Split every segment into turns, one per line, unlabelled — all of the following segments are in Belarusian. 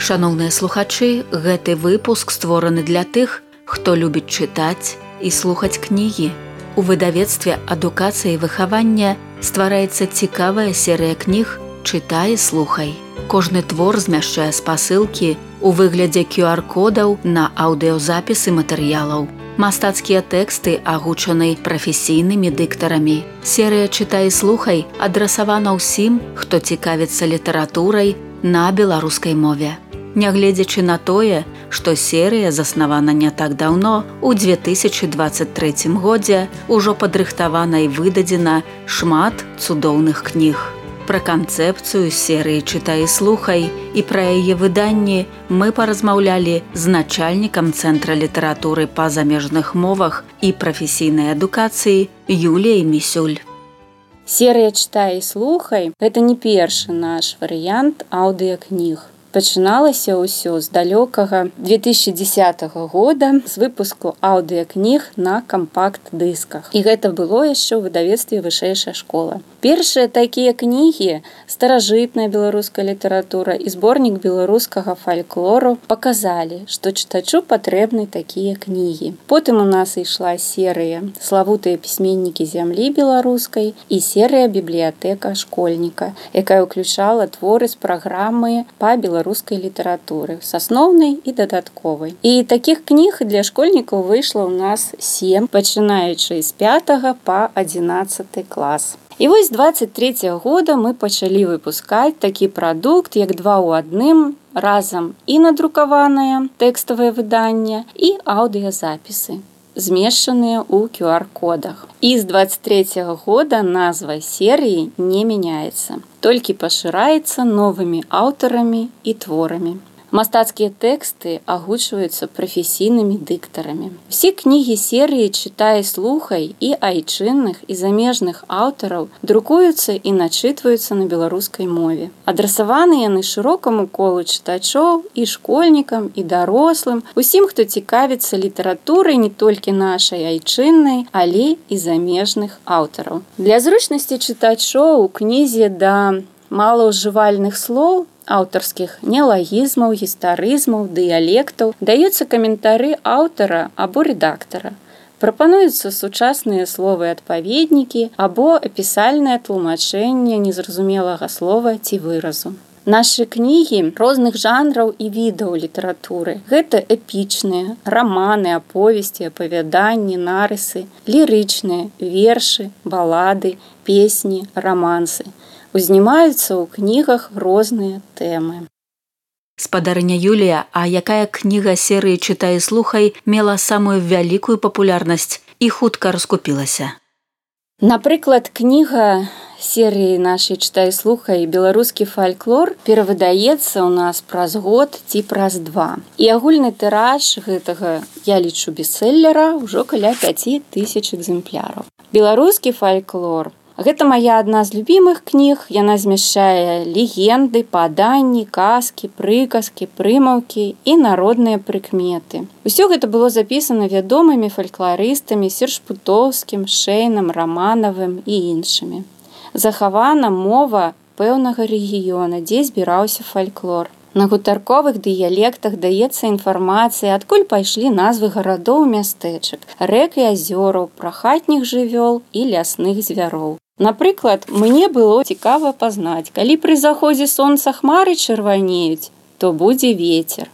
Шаноўныя слухачы, гэты выпуск створаны для тых, хто любіць чытаць і слухаць кнігі. У выдавецтве адукацыі і выхавання ствараецца цікавая серыя кніг «Чытай і слухай». Кожны твор змяшчае спасылкі у выглядзе QR-кодаў на аўдыёзапісы матэрыялаў. Мастацкія тэксты агучаны прафесійнымі дыктарамі. Серыя «Чытай і слухай» адрасавана ўсім, хто цікавіцца літаратурай на беларускай мове. Нягледзячы на тое, што серыя заснавана не так даўно, у 2023 годзе ўжо падрыхтавана і выдадзена шмат цудоўных кніг. Пра канцэпцыю серыі «Чытай і слухай» і пра яе выданні мы паразмаўлялі з начальнікам Цэнтра літаратуры па замежных мовах і прафесійнай адукацыі Юліяй Місюль.
Серыя «Чытай і слухай» – гэта не першы наш варыянт аўдыёкніг. Пачыналася ўсё з далёкага 2010 года з выпуску аўдыёкніг на кампакт-дысках. І гэта было яшчэ ў выдавецтве «Вышэйшая школа». Першыя такія кнігі, старажытная беларуская літаратура і зборнік беларускага фальклору паказалі, што чытачу патрэбны такія кнігі. Потым у нас ішла серыя «Славутыя пісьменнікі зямлі беларускай» і серыя «Бібліятэка школьніка», якая ўключала творы з праграмы па беларускай літаратуры, сасноўнай і дадатковай. І такіх кніг для школьнікаў выйшла ў нас 7, пачынаючы з 5 па 11 клас. І вось 23 года мы пачалі выпускаць такі прадукт, як 2 ў 1, разам і надрукаванае тэкставае выданне і аўдыёзапісы, змешчаныя ў QR-кодах. І з 23 года назва серыі не мяняецца, толькі пашыраецца новымі аўтарамі і творамі. Мастацкія тэксты агучваюцца прафесійнымі дыктарамі. Усе кнігі серыі «Чытай і слухай» і айчынных і замежных аўтараў друкуюцца і начытваюцца на беларускай мове. Адрасаваны яны шырокаму колу чытачоў і школьнікам, і дарослым, усім, хто цікавіцца літаратурай не толькі нашай айчыннай, але і замежных аўтараў. Для зручнасці чытачоў у кнізе да малаўжывальных слоў, аўтарскіх неалагізмаў, гістарызмаў, дыялектаў даюцца каментары аўтара або рэдактара. Прапануюцца сучасныя словы-адпаведнікі або апісальнае тлумачэнне незразумелага слова ці выразу. Нашы кнігі розных жанраў і відаў літаратуры. Гэта эпічныя, раманы, аповесці, апавяданні, нарысы, лірычныя, вершы, балады, песні, рамансы. Узнімаюцца ў кнігах розныя тэмы.
Спадарыня Юлія, а якая кніга серыі «Чытай і слухай» мела самую вялікую папулярнасць і хутка раскупілася?
Напрыклад, кніга серыі нашай «Чытай і слухай» «Беларускі фальклор» перавыдаецца ў нас праз год ці праз 2. І агульны тыраж гэтага, я лічу, бестселлера ўжо каля 5000 экземпляраў. Беларускі фальклор – гэта мая адна з любімых кніг, яна змяшчае легенды, паданні, казкі, прыказкі, прымаўкі і народныя прыкметы. Усё гэта было запісана вядомымі фалькларыстамі Сершпутоўскім, Шэйнам, Раманавым і іншымі. Захавана мова пэўнага рэгіёна, дзе збіраўся фальклор. На гутарковых дыялектах даецца інфармацыя, адкуль пайшлі назвы гарадоў і мястэчак, рэк і азёраў, пра хатніх жывёл і лясных звяроў. Напрыклад, мне было цікава пазнаць, калі пры заходзе сонца хмары чырванеюць, то будзе вецер.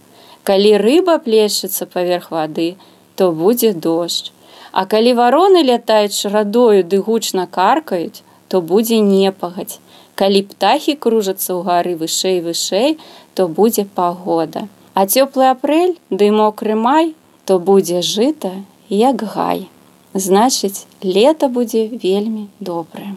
Калі рыба плешчыцца паверх вады, то будзе дождж. А калі вароны лятаюць шарадою ды гучна каркаюць, то будзе непагадзь. Калі птахі кружацца ўгары вышэй-вышэй, то будзе пагода. А цёплы апрэль ды мокры май, то будзе жыта, як гай. Значыць, лета будзе вельмі добрае.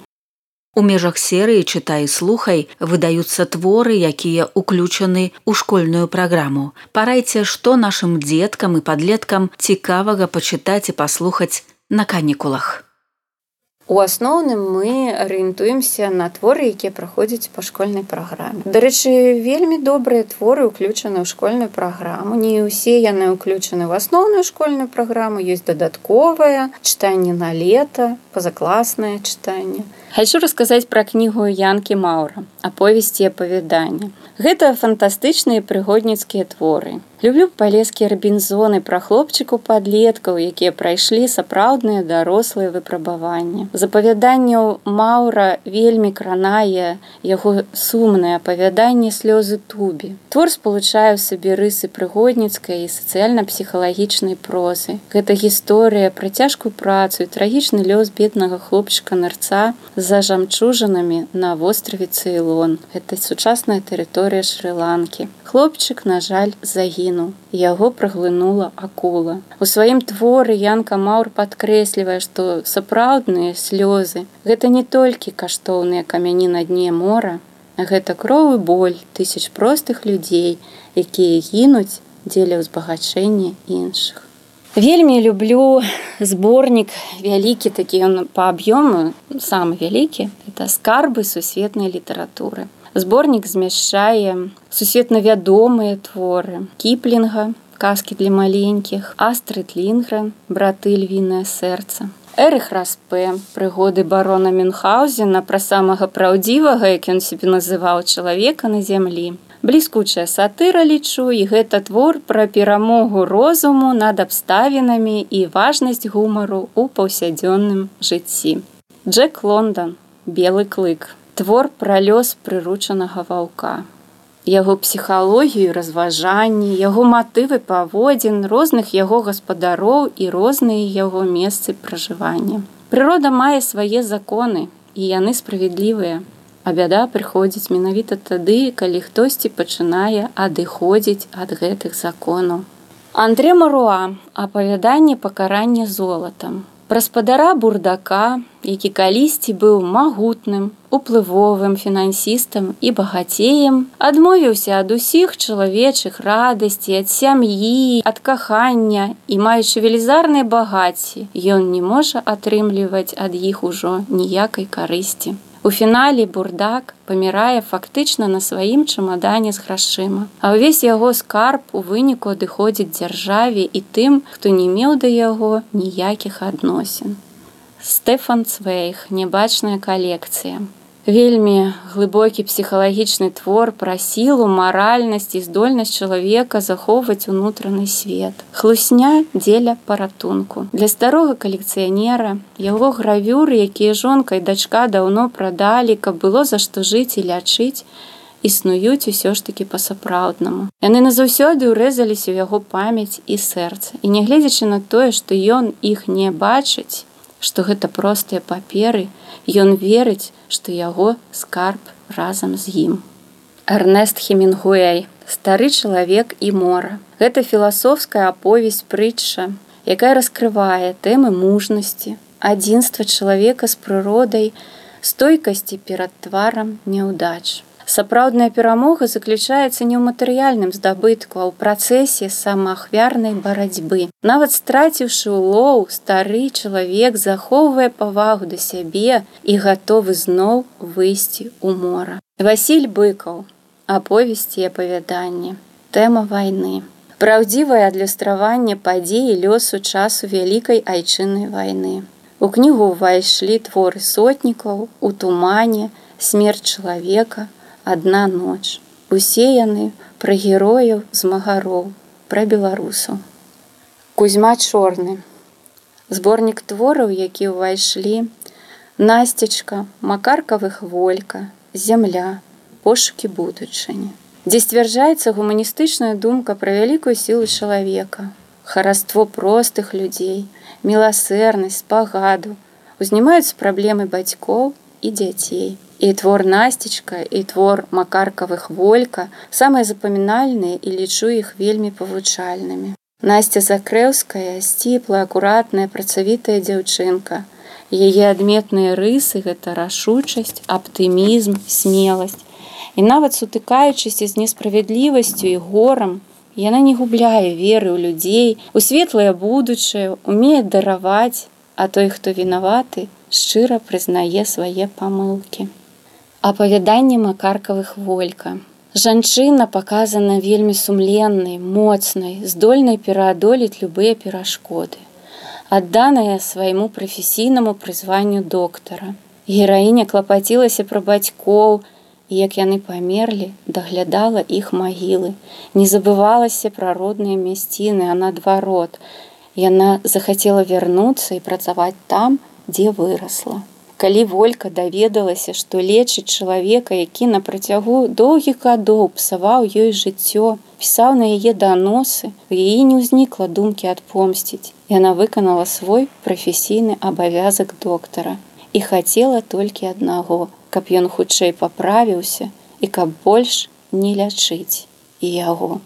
У межах серыі «Чытай і слухай» выдаюцца творы, якія ўключаны ў школьную праграму. Парайце, што нашым дзеткам і падлеткам цікавага пачытаць і паслухаць на канікулах.
У асноўным мы арыентуемся на творы, якія праходзяць па школьнай праграме. Дарэчы, вельмі добрыя творы ўключаны ў школьную праграму. Не ўсе яны ўключаны ў асноўную школьную праграму, ёсць дадатковае чытанне на лета, пазакласнае чытанне. Хочу расказаць пра кнігу Янкі Маўра «Аповесці і апавяданні». Гэта фантастычныя прыгодніцкія творы. Люблю палескія рабінзоны пра хлопчыкаў-падлеткаў, якія прайшлі сапраўдныя дарослыя выпрабаванні. З апавяданняў Маўра вельмі кранае яго сумнае апавяданне «Слёзы Тубі». Твор спалучае ў сабе рысы прыгодніцкай і сацыяльна-псіхалагічнай прозы. Гэта гісторыя пра цяжкую працу і трагічны лёс беднага хлопчыка-нарца за жамчужынамі на востраве Цейлон. Гэта сучасная тэрыторыя Шры-Ланкі. Хлопчык, на жаль, загінуў. Яго праглынула акула. У сваім творы Янка Маўр падкрэслівае, што сапраўдныя слёзы – гэта не толькі каштоўныя камяні на дне мора, а гэта кроў і боль тысяч простых людзей, якія гінуць дзеля ўзбагачэння іншых. Вельмі люблю зборнік вялікі, такі ён па аб'ёму, самы вялікі, это «Скарбы сусветнай літаратуры». Зборнік змяшчае сусветна вядомыя творы Кіплінга, «Казкі для маленькіх», Астрид Лінгрен, «Браты львінае сэрца». Эрых Распе, «Прыгоды барона Мюнхгаузена» пра самага праўдзівага, як ён сябе называў, чалавека на зямлі. Бліскучая сатыра, лічу, і гэта твор пра перамогу розуму над абставінамі і важнасць гумару ў паўсядзённым жыцці. Джек Лондан, «Белы клык». Твор пра лёс прыручанага ваўка. Яго псіхалогію, разважанні, яго матывы паводзін, розных яго гаспадароў і розныя яго месцы пражывання. Прырода мае свае законы, і яны справядлівыя. А бяда прыходзіць менавіта тады, калі хтосьці пачынае адыходзіць ад гэтых законаў. Андре Маруа, «Апавяданне пакарання золатам». Пра спадара бурдака, які калісьці быў магутным, уплывовым фінансістам і багацеем, адмовіўся ад усіх чалавечых радасцей, ад сям'і, ад кахання і, маючы велізарныя багацці, ён не можа атрымліваць ад іх ужо ніякай карысці. У фінале бурдак памірае фактычна на сваім чамадане з грашыма, а ўвесь яго скарб у выніку адыходзіць дзяржаве і тым, хто не меў да яго ніякіх адносін. Стэфан Цвейг, «Нябачная калекцыя». Вельмі глыбокі псіхалагічны твор пра сілу, маральнасць і здольнасць чалавека захоўваць унутраны свет. Хлусня дзеля паратунку. Для старога калекцыянера яго гравюры, якія жонка і дачка даўно прадалі, каб было за што жыць і лячыць, існуюць усё ж такі па-сапраўднаму. Яны назаўсёды ўрэзаліся ў яго памяць і сэрца. І нягледзячы на тое, што ён іх не бачыць, што гэта простыя паперы, ён верыць, што яго скарб разам з ім. Эрнест Хемінгуэй, «Стары чалавек і мора». Гэта філасофская аповесць-прытча, якая раскрывае тэмы мужнасці, адзінства чалавека з прыродай, стойкасці перад тварам няўдач. Сапраўдная перамога заключаецца не ў матэрыяльным здабытку, а ў працэсе самаахвярнай барацьбы. Нават страціўшы улоў, стары чалавек захоўвае павагу да сябе і гатовы зноў выйсці ў мора. Васіль Быкаў, «Аповесці і апавяданні». Тэма вайны. Праўдзівае адлюстраванне падзей і лёсу часу Вялікай айчыннай вайны. У кнігу ўвайшлі творы сотнікаў, «У тумане», «Смерць чалавека», «Адна ноч». Усе яны пра герояў змагароў, пра беларусаў. Кузьма Чорны. Зборнік твораў, які ўвайшлі: «Насцечка», «Макаркавы хволька», «Зямля», «Пошукі будучыні», дзе сцвярджаецца гуманістычная думка пра вялікую сілу чалавека, хараство простых людзей, міласэрнасць, спагаду, узнімаюцца праблемы бацькоў і дзяцей. І твор «Насцечка», і твор «Макаркавы хволька» самыя запамінальныя, і лічу іх вельмі павучальнымі. Насця Закрэўская – сціплая, акуратная, працавітая дзяўчынка. Яе адметныя рысы – гэта рашучасць, аптымізм, смеласць. І нават сутыкаючыся з несправядлівасцю і горам, яна не губляе веры ў людзей, у светлае будучае, умее дараваць, а той, хто вінаваты, шчыра прызнае свае памылкі. Апавяданне Макаркавы хволька. Жанчына паказана вельмі сумленнай, моцнай, здольнай пераадолець любыя перашкоды, адданая свайму прафесійнаму прызванню доктара. Гераіня клапацілася пра бацькоў, і як яны памерлі, даглядала іх магілы. Не забывалася пра родныя мясціны, а наадварот. Яна захацела вярнуцца і працаваць там, дзе вырасла. Калі Волька даведалася, што лечыць чалавека, які на працягу доўгіх гадоў псаваў ёй жыццё, пісаў на яе даносы, у яе не ўзнікла думкі адпомсціць. Яна выканала свой прафесійны абавязак доктара і хацела толькі аднаго, каб ён хутчэй паправіўся і каб больш не лячыць і яго.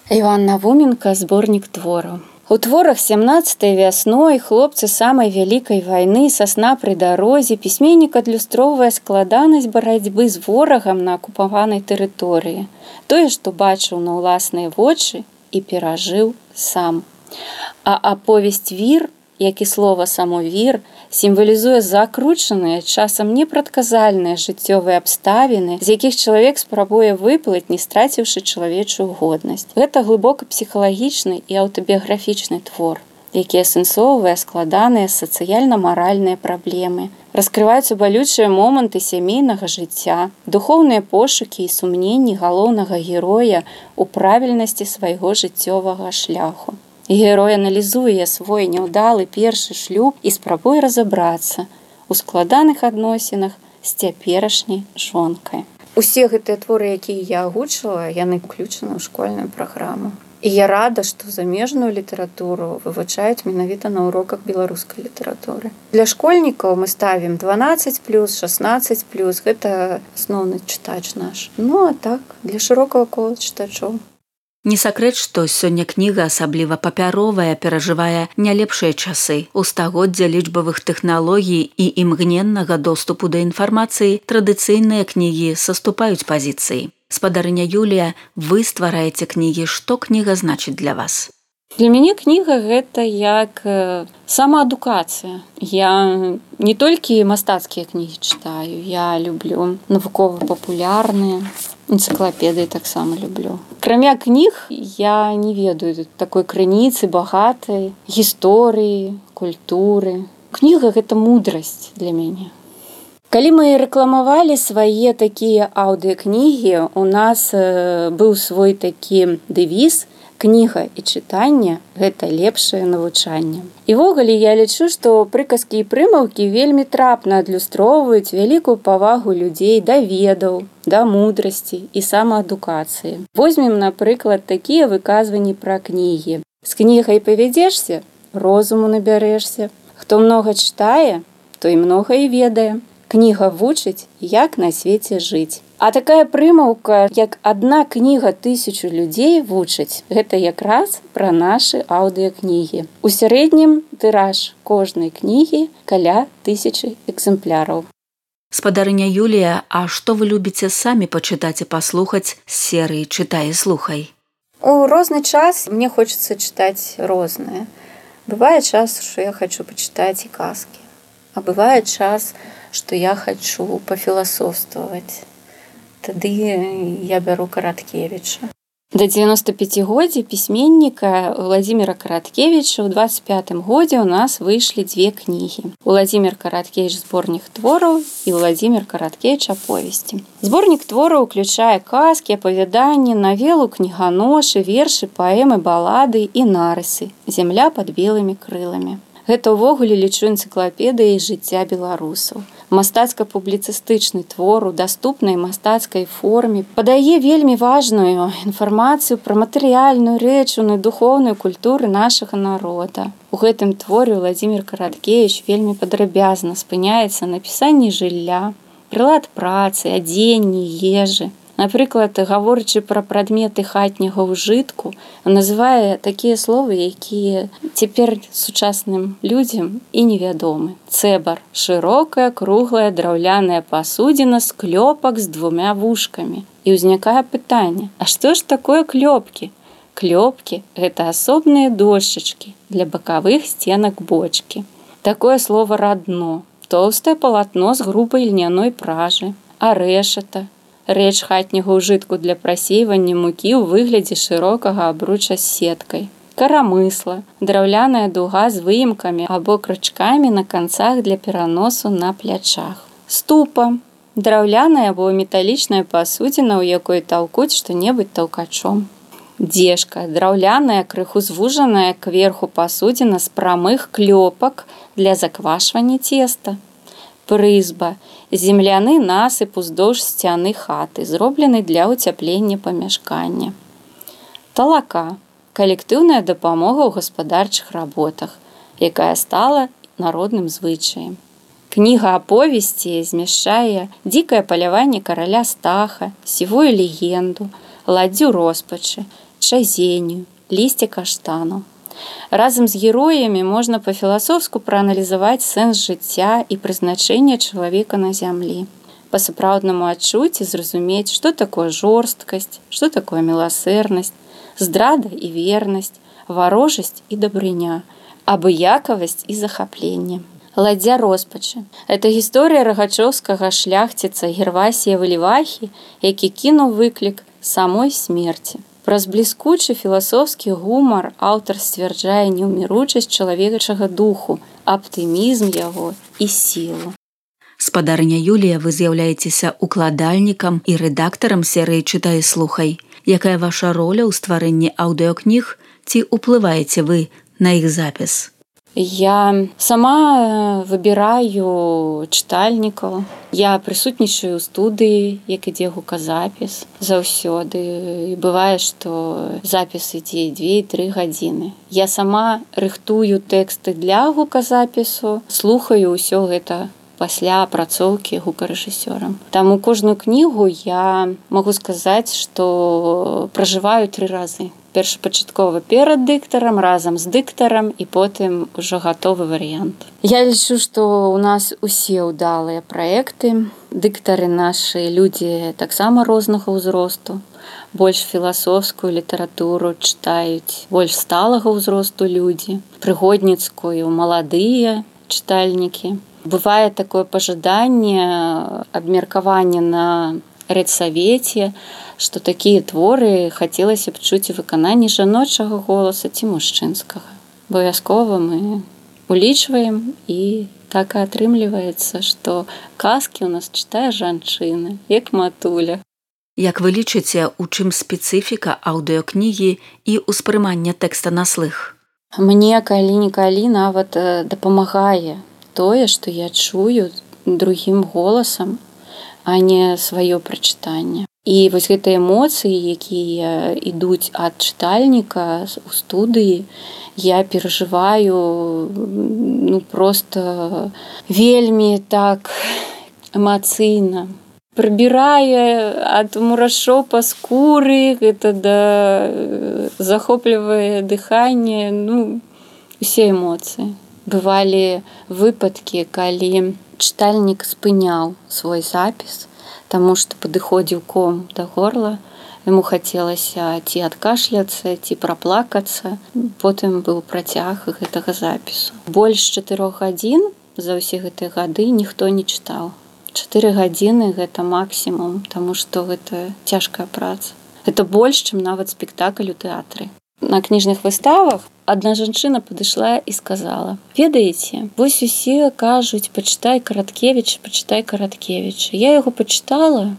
Іван Навуменка, зборнік твораў. У творах 17-й вясной, хлопцы самай вялікай вайны, сасна пры дарозе, пісьменнік адлюстроўвае складанасць барацьбы з ворагам на акупаванай тэрыторыі. Тое, што бачыў на ўласныя вочы і перажыў сам. А аповесць «Вір», як і слова само «вір», сімвалізуе закручаныя, часам непрадказальныя жыццёвыя абставіны, з якіх чалавек спрабуе выплыць, не страціўшы чалавечую годнасць. Гэта глыбока псіхалагічны і аўтабіяграфічны твор, які асэнсоўвае складаныя сацыяльна-маральныя праблемы. Раскрываюцца балючыя моманты сямейнага жыцця, духоўныя пошукі і сумненні галоўнага героя ў правільнасці свайго жыццёвага шляху. Герой аналізуе свой няўдалы першы шлюб і спрабуе разабрацца ў складаных адносінах з цяперашняй жонкай. Усе гэтыя творы, якія я агучыла, яны ўключаны ў школьную праграму. І я рада, што замежную літаратуру вывучаюць менавіта на уроках беларускай літаратуры. Для школьнікаў мы ставім 12+, 16+, гэта асноўны чытач наш. Ну, а так, для шырокага кола чытачоў.
Не сакрэт, што сёння кніга, асабліва папяровая, перажывае не лепшыя часы. У стагоддзя лічбавых тэхналогій і імгненнага доступу да інфармацыі традыцыйныя кнігі саступаюць пазіцыі. Спадарыня Юлія, вы ствараеце кнігі, што кніга значыць для вас?
Для мяне кніга гэта як самаадукацыя. Я не толькі мастацкія кнігі чытаю, я люблю навукова-папулярныя, энцыклапедыі таксама люблю. Акрамя кніг я не ведаю такой крыніцы багатай гісторыі, культуры. Кніга гэта мудрасць для мяне. Калі мы рэкламавалі свае такія аўдыакнігі, у нас быў свой такі дэвіз: кніга і чытанне – гэта лепшае навучанне. І ввогуле я лічу, што прыказкі і прымаўкі вельмі трапна адлюстроўваюць вялікую павагу людзей да ведаў, да мудрасці і самаадукацыі. Возьмем, напрыклад, такія выказванні пра кнігі. З кнігай павядзешся, розуму набярэшся. Хто многа чытае, той многа і ведае. Кніга вучыць, як на свеце жыць. А такая прымаўка, як адна кніга 1000 людзей вучыць, гэта якраз пра нашы аўдыакнігі. У сярэднім тыраж кожнай кнігі каля 1000 экземпляраў.
Спадарыня Юлія, а што вы любіце самі пачытаць і паслухаць з серыі «Чытай і слухай»?
У розны час мне хочацца чытаць рознае. Бывае час, што я хачу пачытаць і казкі. А бывае час, што я хачу пафіласофстваваць. Тады я бяру Караткевіча. Да 95-годдзя пісьменніка Владзіміра Караткевіча ў 25-м годзе ў нас выйшлі 2 кнігі. Владзімір Караткевіч зборнік твораў і Владзімір Караткевіч аповесці. Зборнік твораў уключае казкі, апавяданні, навелу, кніганошы, вершы, паэмы, балады і нарысы «Зямля пад белымі крыламі». Гэта ўвогуле лічу энцыклапедыяй жыцця беларусаў. Мастацка-публіцыстычны твор у даступнай мастацкай форме падае вельмі важную інфармацыю пра матэрыяльную, рэчыўную, духоўную культуру нашага народа. У гэтым творе Владзімір Караткевіч вельмі падрабязна спыняецца на апісанні жылля, прылад працы, адзенні, ежы. Напрыклад, гаворачы пра прадметы хатняга ўжытку, называе такія словы, якія цяпер сучасным людзям і невядомы. Цэбар – шырокая, круглая, драўляная пасудзіна з клёпак з 2 вушкамі. І ўзнікае пытанне: а што ж такое клёпкі? Клёпкі – гэта асобныя дошчачкі для бакавых сценак бочкі. Такое слово радно, тоўстае палатно з грубай льняной пражы, арэшата – рэч хатняга ўжытку для прасейвання мукі ў выглядзе шырокага абруча з сеткай. Карамысла – драўляная дуга з выемкамі або крычкамі на канцах для пераносу на плячах. Ступа – драўляная або металічная пасудзіна, у якой таўкуць што-небудзь таўкачом. Дзежка – драўляная, крыху звужаная кверху пасудзіна з прамых клёпак для заквашвання цеста. Прызба – земляны насып уздоўж сцяны хаты, зроблены для ўцяплення памяшкання. Талака – калектыўная дапамога ў гаспадарчых работах, якая стала народным звычаем. Кніга аповесці змяшчае дзікае паляванне караля Стаха, сівую легенду, ладдзю роспачы, чазенню, лісце каштану. Разам з героямі можна па-філасофску прааналізаваць сэнс жыцця і прызначэнне чалавека на зямлі. Па-сапраўднаму адчуць і зразумець, што такое жорсткасць, што такое міласэрнасць, здрада і вернасць, варожасць і дабрыня, абыякавасць і захапленне. Ладдзя роспачы – гэта гісторыя рагачоўскага шляхціца Гервасія Валівахі, які кінуў выклік самой смерці. Праз бліскучы філасофскі гумар аўтар сцвярджае неўміручасць чалавечага духу, аптымізм яго і сілу.
Спадарыня Юлія, вы з'яўляецеся укладальнікам і рэдактарам серыі «Чытай і слухай». Якая ваша роля ў стварэнні аўдыёкніг, ці ўплываеце вы на іх запіс?
Я сама выбіраю чытальнікаў. Я прысутнічаю ў студыі, як ідзе гуказапіс заўсёды. І бывае, што запіс ідзе 2-3 гадзіны. Я сама рыхтую тэксты для гуказапісу, слухаю ўсё гэта пасля апрацоўкі гукарэжысёрам. Таму кожную кнігу я магу сказаць, што пражываю 3 разы. Першапачаткова перад дыктарам, разам з дыктарам і потым ужо гатовы варыянт. Я лічу, што ў нас усе ўдалыя праекты. Дыктары нашы людзі таксама рознага ўзросту. Больш філасофскую літаратуру чытаюць, больш сталага ўзросту людзі, прыгодніцкую маладыя чытальнікі. Бывае такое пажаданне, абмеркаванне на рэдсавеце, што такія творы хацелася б чуць у выкананні жаночага голаса ці мужчынскага. Абавязкова мы улічваем, і так і атрымліваецца, што казкі ў нас чытае жанчына, як матуля.
Як вы лічыце, у чым спецыфіка аўдыёкнігі і ўспрымання тэкста на слых?
Мне калі-нікалі нават дапамагае тое, што я чую другім голасам, а не сваё прачытанне. І вось гэтыя эмоцыі, якія ідуць ад чытальніка у студыі, я перажываю проста вельмі так эмацыйна. Прыбірае ад мурашоў па скуры, гэта захоплівае дыханне, усе эмоцыі. Бывалі выпадкі, калі чытальнік спыняў свой запіс, таму што падыходзіў ком да горла, яму хацелася ці адкашляцца, ці праплакацца. Потым быў працяг гэтага запісу. Больш 4 гадзін за ўсе гэтыя гады ніхто не чытаў. 4 гадзіны – гэта максімум, таму што гэта цяжкая праца. Гэта больш, чым нават спектакль у тэатры. На кніжных выставах адна жанчына падышла і сказала: «Ведаеце, вось усе кажуць, пачытай Караткевіча, пачытай Караткевіча. Я яго пачытала,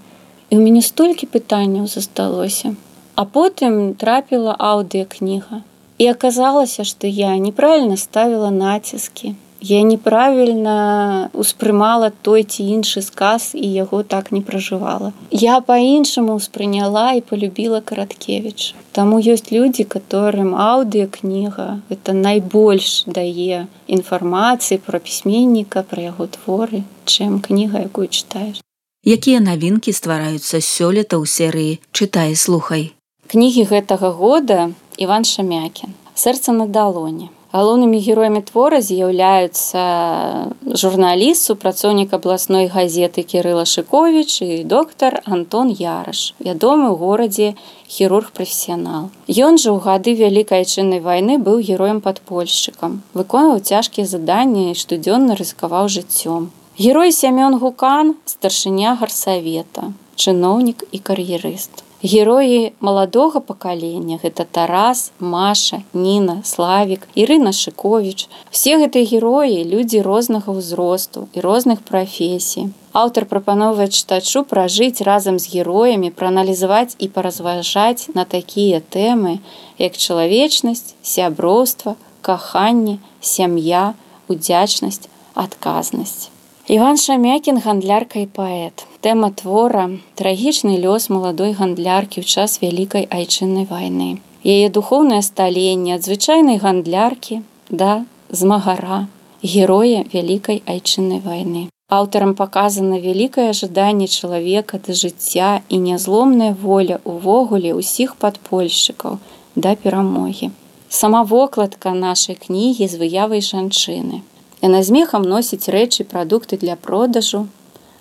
і ў мяне столькі пытанняў засталося. А потым трапіла аўдыёкніга. І аказалася, што я неправільна ставіла націскі. Я неправільна успрымала той ці іншы сказ і яго так не пражывала. Я па-іншаму ўспрыняла і полюбіла Караткевіча. Таму ёсць людзі, которым аўдыёкніга гэта найбольш дае інфармацыі пра пісьменніка, пра яго творы, чым кніга, якую чытаеш».
Якія навінкі ствараюцца сёлета ў серыі «Чытай і слухай»?
Кнігі гэтага года Іван Шамякін «Сэрца на далоні». Галоўнымі героямі твора з'яўляюцца журналіст, супрацоўнік абласной газеты Кірыла Шыковіч і доктар Антон Яраш, вядомы ў горадзе хірург-прафесіянал. Ён жа ў гады Вялікай Айчыннай вайны быў героем-падпольшчыкам, выконваў цяжкія заданні і штодзённа рызыкаваў жыццём. Герой Сямён Гукан – старшыня гарсавета, чыноўнік і кар'ерыст. Героі маладога пакалення – гэта Тарас, Маша, Ніна, Славік, Ірына Шыковіч. Усе гэтыя героі – людзі рознага ўзросту і розных прафесій. Аўтар прапановвае чытачу пражыць разам з героямі, прааналізаваць і паразважаць на такія тэмы, як чалавечнасць, сяброўства, каханне, сям'я, удзячнасць, адказнасць. Іван Шамякін – гандлярка і паэт. Тэма твора – трагічны лёс маладой гандляркі ў час Вялікай Айчыннай вайны. Яе духоўнае сталенне ад звычайнай гандляркі да змагара, героя Вялікай Айчыннай вайны. Аўтарам паказана вялікае жаданне чалавека да жыцця і нязломная воля ўвогуле ўсіх падпольшчыкаў да перамогі. Сама вокладка нашай кнігі з выявай жанчыны. Яна змехам носіць рэчы, прадукты для продажу,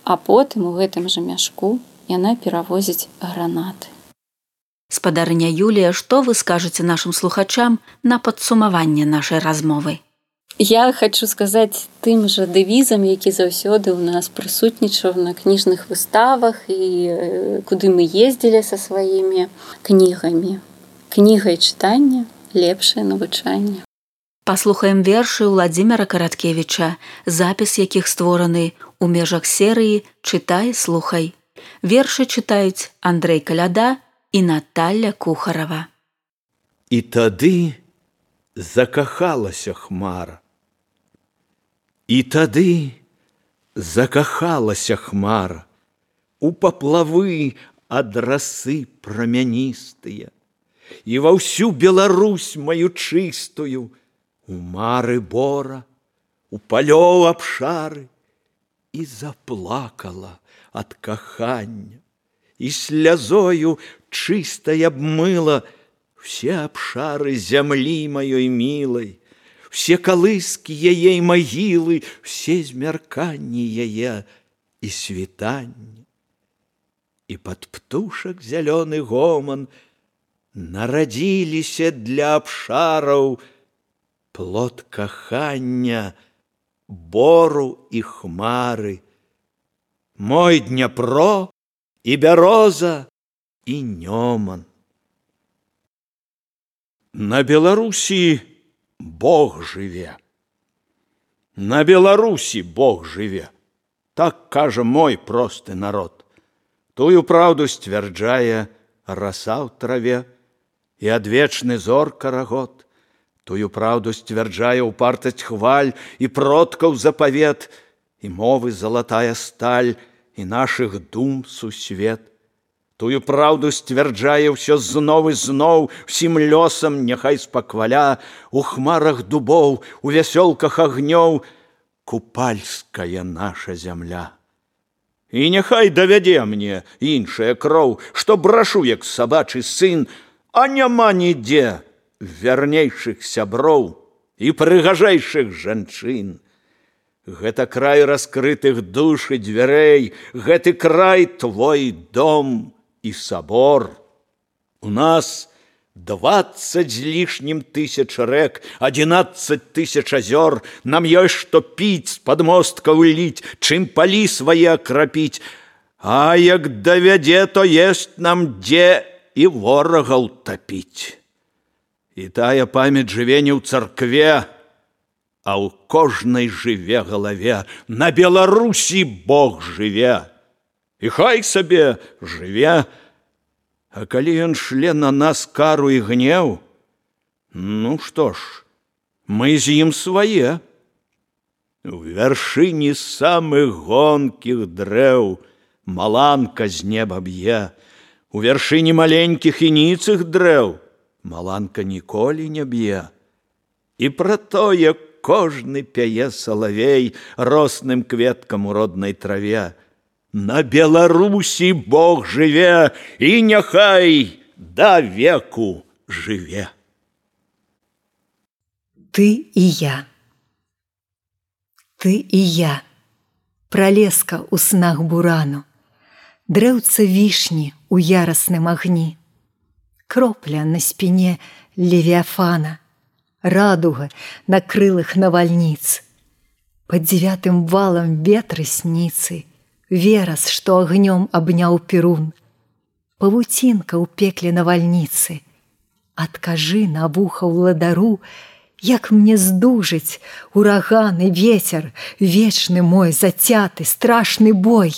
а потым у гэтым жа мяшку яна перавозіць гранаты.
Спадарыня Юлія, што вы скажаце нашым слухачам на падсумаванне нашай размовы?
Я хочу сказаць тым жа дэвізам, які заўсёды ў нас прысутнічаў на кніжных выставах і куды мы ездзілі са сваімі кнігамі. Кніга і чытанне – лепшае навучанне.
Паслухаем вершы Владзіміра Караткевіча, запіс якіх створаны ў межах серыі «Чытай, слухай». Вершы чытаюць Андрэй Каляда і Наталля Кухарава.
І тады закахалася хмара. І тады закахалася хмара у паплавы ад расы прамяністыя і ва ўсю Беларусь маю чыстую, у мары бора, у палёў абшары, і заплакала ад кахання, і слязою чыстай абмыла все абшары зямлі маёй мілай, все калыскі яе магілы, все змярканні яе і світанні. І пад птушак зялёны гоман нарадзіліся для абшараў плод кахання, бору і хмары, мой Дняпро і бяроза і нёман. На Беларусі Бог жыве. На Беларусі Бог жыве. Так кажа мой просты народ. Тую праўду сцвярджае раса ў траве і адвечны зор карагод. Тую праўду сцвярджае упартасць хваль і продкаў запавет, і мовы залатая сталь, і нашых дум сусвет. Тую праўду сцвярджае ўсё зноў і зноў, усім лёсам няхай спакваля, у хмарах дубоў, у вясёлках агнёў, купальская наша зямля. І няхай давядзе мне іншая кроў, што брашу, як сабачы сын, а няма нідзе вернейшых сяброў і прыгажэйшых жанчын. Гэта край раскрытых душ і дзвярэй, гэты край твой дом і сабор. У нас 20 з лішнім тысяч рэк, 11 тысяч азёр. Нам ёсць што піць, з падмосткаў ліць, чым палі свае акрапіць. А як давядзе, то ёсць нам дзе і ворагаў тапіць. І тая памяць жыве не ў царкве, а ў кожнай жыве галаве. На Беларусі Бог жыве. І хай сабе жыве. А калі ён шле на нас кару і гнеў, ну што ж, мы з ім свае. У вяршыні самых гонкіх дрэў маланка з неба б'е. У вяршыні маленькіх і ніцых дрэў маланка ніколі не б'е. І пра тое кожны пяе салавей росным кветкам у роднай траве. На Беларусі Бог жыве, і няхай да веку жыве.
Ты і я. Ты і я. Пралеска ў снах бурану. Дрэўца вішні ў ярасным агні. Кропля на спіне левіафана. Радуга на крылах навальніц. Пад 9 валам ветры сніцы. Верас, што агнём абняў перун. павуцінка ў пекле навальніцы. Адкажы на вуха ўладару, як мне здужыць ураган і вецер, вечны мой зацяты, страшны бой,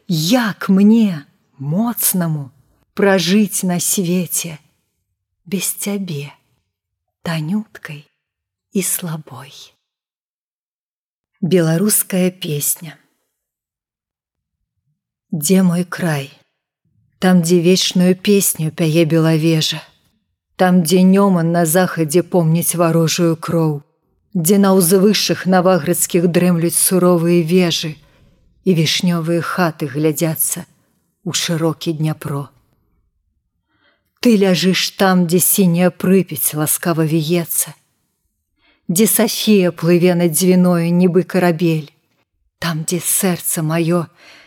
як мне, моцнаму, пражыць на свеце без цябе, танюткай і слабой. Беларуская песня. Дзе мой край? Там, дзе вечную песню пяе белавежа, там, дзе нёман на захадзе помніць варожую кроў, дзе на ўзвышшых наваградскіх дрэмлюць суровыя вежы і вішнёвыя хаты глядзяцца у шырокі Дняпро. Ты ляжыш там, дзе сіняя Прыпяць ласкава віецца, дзе Сафія плыве над дзвіною, нібы карабель, там, дзе сэрца маё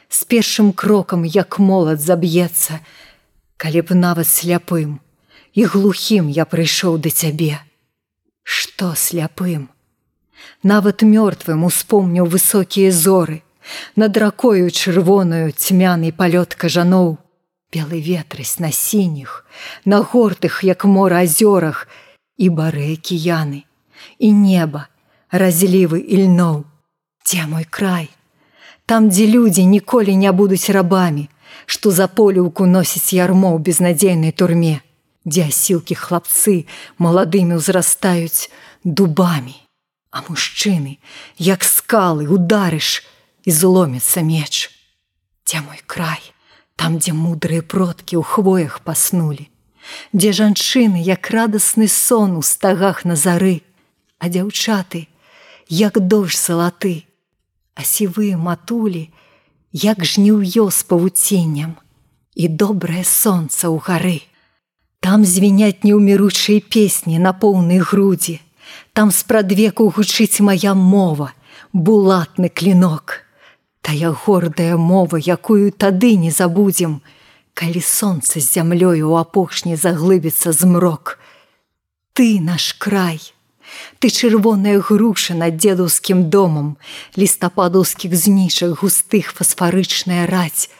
з першым крокам, як молат, заб'ецца, калі б нават сляпым і глухім я прыйшоў да цябе. Што сляпым? Нават мёртвым успомніў высокія зоры, над ракою чырвонаю цьмяны палёт кажаноў, белы ветрысь на сініх, на гортых, як мора, азёрах, і бары акіяны, і неба, разлівы ільноў. Дзе мой край? Там, дзе людзі ніколі не будуць рабамі, што за поліўку носіць ярмо ў безнадзейнай турме, дзе асілкі хлапцы маладымі ўзрастаюць дубамі, а мужчыны, як скалы, ударыш, і зломіцца меч. Дзе мой край? Там, дзе мудрыя продкі ў хвоях паснулі, дзе жанчыны, як радасны сон у стагах на зары, а дзяўчаты, як дождж залаты, а сівыя матулі, як жніўё з павуціннем, і добрае сонца ў гары. Там звіняць неўміручыя песні на поўнай грудзі, там спрадвеку гучыць мая мова, булатны клінок, тая гордая мова, якую тады не забудзем, калі сонца з зямлёю ў апошні заглыбіцца змрок. Ты наш край, ты чырвоная груша над дзедаўскім домам, лістападаўскіх знічак густых фасфарычная раць.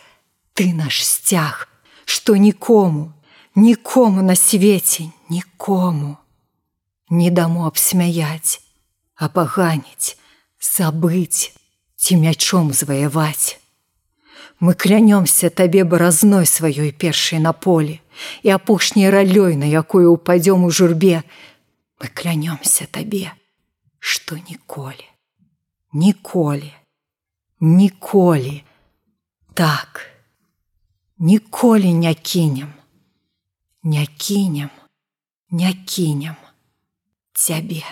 Ты наш сцяг, што нікому, нікому на свеце, нікому не дамо абсмяяць, апаганіць, забыць ці мячом зваяваць. Мы клянёмся табе баразной сваёй першай на полі і апошняй ралёй, на якую ўпадзём у журбе. Мы клянёмся табе, што ніколі, ніколі, ніколі, так, ніколі не кінем, не кінем, не кінем цябе.